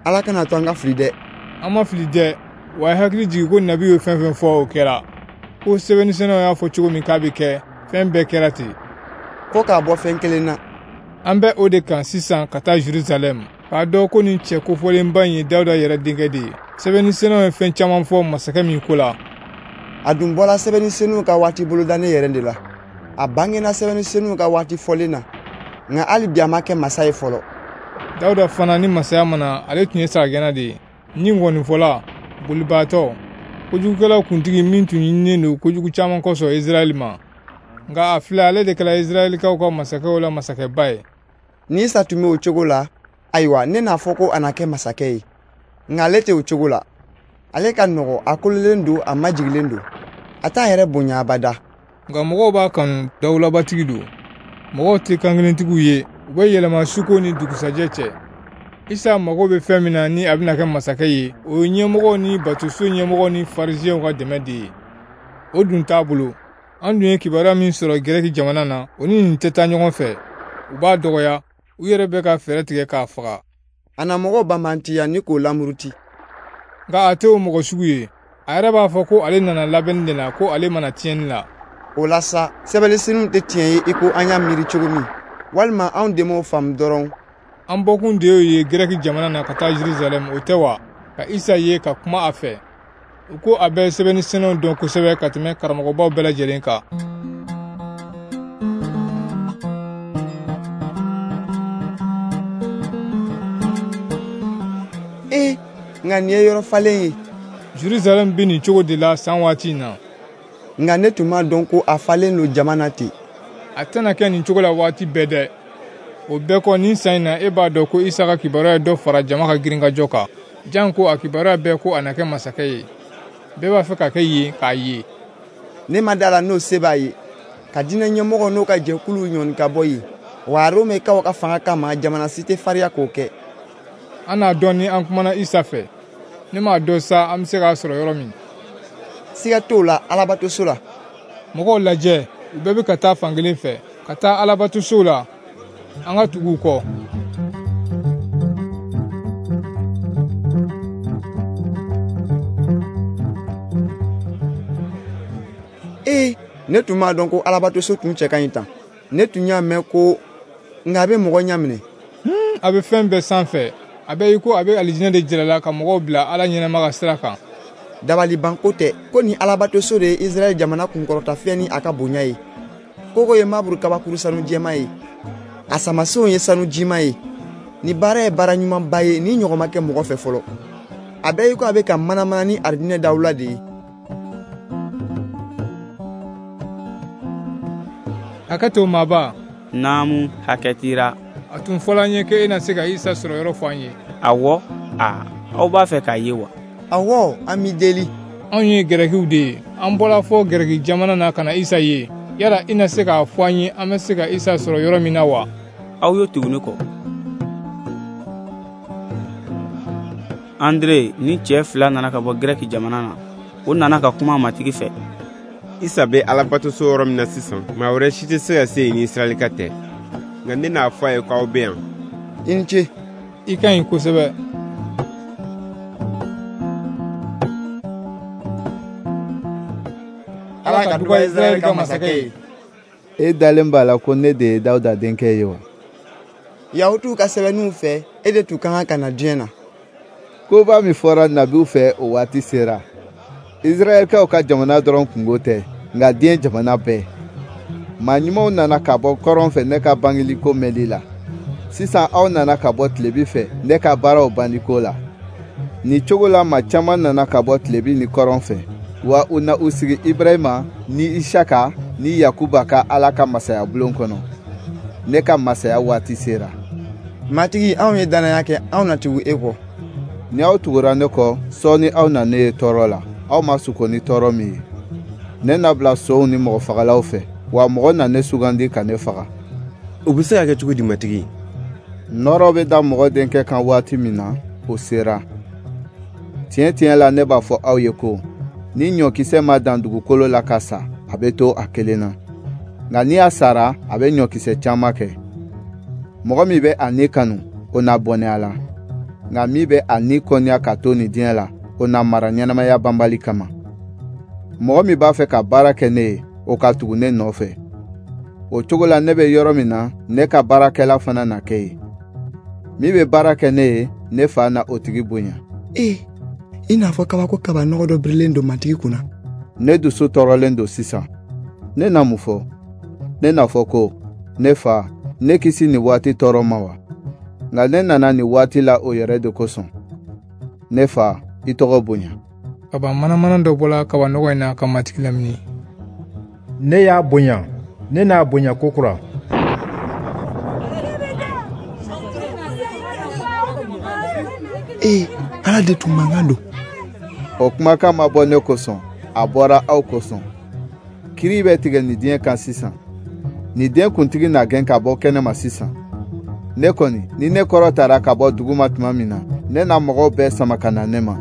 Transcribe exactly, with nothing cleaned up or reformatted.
Ala kana to an ka fili dɛ. An ma fili dɛ. Wa a ye hakili jigin ko nabi ye fɛn fɛn fɔ o kɛra. Ko sɛbɛnnisɛnɛw y'a fɔ cogo min k'a bɛ kɛ, fɛn bɛɛ kɛra ten. Ko k'a bɔ fɛn kelen na. An bɛ o de kan sisan ka taa Jerusalɛm, k'a dɔn ko nin cɛ kofɔlenba in ye Dawuda yɛrɛ denkɛ de ye. Sɛbɛnnisɛnɛw ye fɛn caman fɔ masakɛ min ko la. A dun bɔra sɛbɛnnisɛnɛw ka waati bolodanen yɛrɛ de la. A bangena sɛbɛnnisɛnɛw ka waati fɔlen na, nka hali bi a ma kɛ masa ye fɔlɔ. Dawuda fana ni masaya ma na, ale tun ye sagagɛnna de ye, ni ngɔnifɔla, bolibaatɔ, kojugukɛlaw kuntigi min tun ɲininen don kojugu caman kosɔn Israɛl ma. Nka a filɛ, ale de kɛra Israɛlkaw ka masakɛw la masakɛba ye. Ni Isa tun bɛ o cogo la, ayiwa ne n'a fɔ ko a na kɛ masakɛ ye. Nka ale tɛ o cogo la. Ale ka nɔgɔ, a kololen don, a majigilen don. A t'a yɛrɛ bonya abada. Nka mɔgɔw b'a kanu, dawulabatigi don. Mɔgɔw tɛ kankelentigiw ye, u bɛ yɛlɛma suko ni dugusajɛ cɛ. Isa mago bɛ fɛn min na ni a bɛna kɛ masakɛ ye, o ye ɲɛmɔgɔw ni batoso ɲɛmɔgɔw ni farisiɛnw ka dɛmɛ de ye. O dun t'a bolo. An dun ye kibaruya min sɔrɔ Gɛrɛki jamana na, o ni nin tɛ taa ɲɔgɔn fɛ. U b'a dɔgɔya, u yɛrɛ bɛ ka fɛɛrɛ tigɛ k'a faga. A na mɔgɔw banbantiya ni k'o lamuruti. Nka a tɛ o mɔgɔ sugu ye. A yɛrɛ b'a fɔ ko ale nana labɛnni de la, ko ale mana tiɲɛni la. O la sa, sɛbɛnnisɛnɛw tɛ tiɲɛ ye i ko an y'a miiri cogo min, walima anw de m'o faamu dɔrɔn. An bɔkun de y'o ye Gɛrɛki jamana na ka taa Jerusalɛm, o tɛ wa? Ka Isa ye ka kuma a fɛ. U ko a bɛ sɛbɛnnisɛnɛw dɔn kosɛbɛ ka tɛmɛ karamɔgɔbaw bɛɛ lajɛlen kan. Ee, nka nin ye yɔrɔ falen ye. Jerusalɛm bɛ nin cogo de la san waati in na. Nka ne tun m'a dɔn ko a falen don jama na ten. A tɛna kɛ nin cogo la waati bɛɛ dɛ. O bɛɛ kɔ, nin san in na, e b'a dɔn ko Isa ka kibaruya ye dɔ fara jama ka girinkajɔ kan. Janko a kibaruya bɛɛ ko a na kɛ masakɛ ye. Bɛɛ b'a fɛ ka kɛ yen k'a ye. Ne ma da la n'o se b'a ye. Ka diinɛ ɲɛmɔgɔ n'o ka jɛkuluw ɲɔni ka bɔ yen. Wa Romɛkaw ka fanga kama, jamana si tɛ farinya k'o kɛ. An n'a dɔn ni an kumana Isa fɛ. Ne m'a dɔn sa an bɛ se k'a sɔrɔ yɔrɔ min. Siga t'o la alabatoso la. Mɔgɔw lajɛ, u bɛɛ bɛ ka taa fan kelen fɛ, ka taa alabatoso la. An ka tugu u kɔ. Ee, ne tun m'a dɔn ko alabatoso tun cɛ ka ɲi tan. Ne tun y'a mɛn ko nka a bɛ mɔgɔ ɲaminɛ. Hmm, a bɛ fɛn bɛɛ sanfɛ. A bɛ i ko a bɛ alijinɛ de jira la ka mɔgɔw bila Ala ɲɛnama ka sira kan. Dabalibanko tɛ ko nin alabatoso de ye Israɛl jamana kunkɔrɔtafɛn ni a ka bonya ye. Kogo ye maburu kabakuru sanu jɛman ye. A samasenw ye sanu jima ye. Ni baara ye baara ɲumanba ye, ni ɲɔgɔn ma kɛ mɔgɔ fɛ fɔlɔ. A bɛ i ko a bɛ ka manamana ni arijinɛ dawula de ye. Hakɛ to maaba. Naamu, hakɛ tira. A tun fɔla an ye k'e na se ka Isa sɔrɔ yɔrɔ fɔ an ye. Awɔ, a, aw b'a fɛ k'a ye wa? Awɔ, an b'i deli. Anw ye Gɛrɛkiw de ye. An bɔra fɔ Gɛrɛki jamana na ka na Isa ye. Yala i na se k'a fɔ an ye an bɛ se ka Isa sɔrɔ yɔrɔ min na wa? Aw ye tugu ne kɔ. Andre ni cɛ fila nana ka bɔ Gɛrɛki jamana na. O nana ka kuma Matigi fɛ. Isa bɛ alabatoso yɔrɔ min na sisan, maa wɛrɛ si tɛ se ka se yen ni Israɛlika tɛ. Nka ne n'a fɔ a ye k'aw bɛ yan. I ni ce. I ka ɲi kosɛbɛ. Ala ka duba Israɛl ka masakɛ ye. E dalen b'a la ko ne de ye Dawuda denkɛ ye wa? Yahutuw ka sɛbɛnniw fɛ, e de tun ka kan ka na diɲɛ na. Koba min fɔra nabiw fɛ o waati sera. Israɛlkaw ka jamana dɔrɔn kungo tɛ, nka diɲɛ jamana bɛɛ. Maa ɲumanw nana ka bɔ kɔrɔn fɛ ne ka bangeliko mɛnli la. Sisan aw nana ka bɔ tilebi fɛ ne ka baaraw banliko la. Nin cogo la maa caman nana ka bɔ tilebi ni kɔrɔn fɛ. Wa u na u sigi Ibrahima ni Isaka ni Yakuba ka Ala ka masaya bulon kɔnɔ. Ne ka masaya waati sera. Matigi, anw ye danaya kɛ, anw na tugu e kɔ. Ni aw tugura ne kɔ, sɔɔni aw na ne ye tɔɔrɔ la. Aw ma suko ni tɔɔrɔ min ye. Ne na bila sow ni mɔgɔfagalaw fɛ, wa mɔgɔ na ne sugandi ka ne faga. O bɛ se ka kɛ cogo di, Matigi? Nɔɔrɔ bɛ da mɔgɔ denkɛ kan waati min na, o sera. Tiɲɛ tiɲɛ la ne b'a fɔ aw ye ko, ni ɲɔkisɛ ma dan dugukolo la ka sa, a bɛ to a kelen na. Nka ni a sara, a bɛ ɲɔkisɛ caman kɛ. Mɔgɔ min bɛ a ni kanu, o na bɔnɛ a la. Nka min bɛ a ni kɔniya ka to nin diɲɛ la, o na mara ɲɛnamaya banbali kama. Mɔgɔ min b'a fɛ ka baara kɛ ne ye, o ka tugu ne nɔfɛ. O cogo la ne bɛ yɔrɔ min na, ne ka baarakɛla fana na kɛ yen. Min bɛ baara kɛ ne ye, ne fa na o tigi bonya. Ee, i n'a fɔ kabako kaba nɔgɔ dɔ birilen don Matigi kunna. Ne dusu tɔɔrɔlen don sisan. Ne na mun fɔ? Ne n'a fɔ ko, ne fa, ne kisi nin waati tɔɔrɔ ma wa? Nka ne nana nin waati la o yɛrɛ de kosɔn. Ne fa, i tɔgɔ bonya. Kaba manamana dɔ bɔla kaba nɔgɔ in na ka Matigi lamini. Ne y'a bonya, ne n'a bonya kokura. Ee, Ala de tun mankan don. O kumakan ma bɔ ne kosɔn, a bɔra aw kosɔn. Kiri bɛ tigɛ nin diɲɛ kan sisan. Nin den kuntigi na gɛn ka bɔ kɛnɛma sisan. Ne kɔni, ni ne kɔrɔ tara ka bɔ duguma tuma min na, ne na mɔgɔw bɛɛ sama ka na ne ma.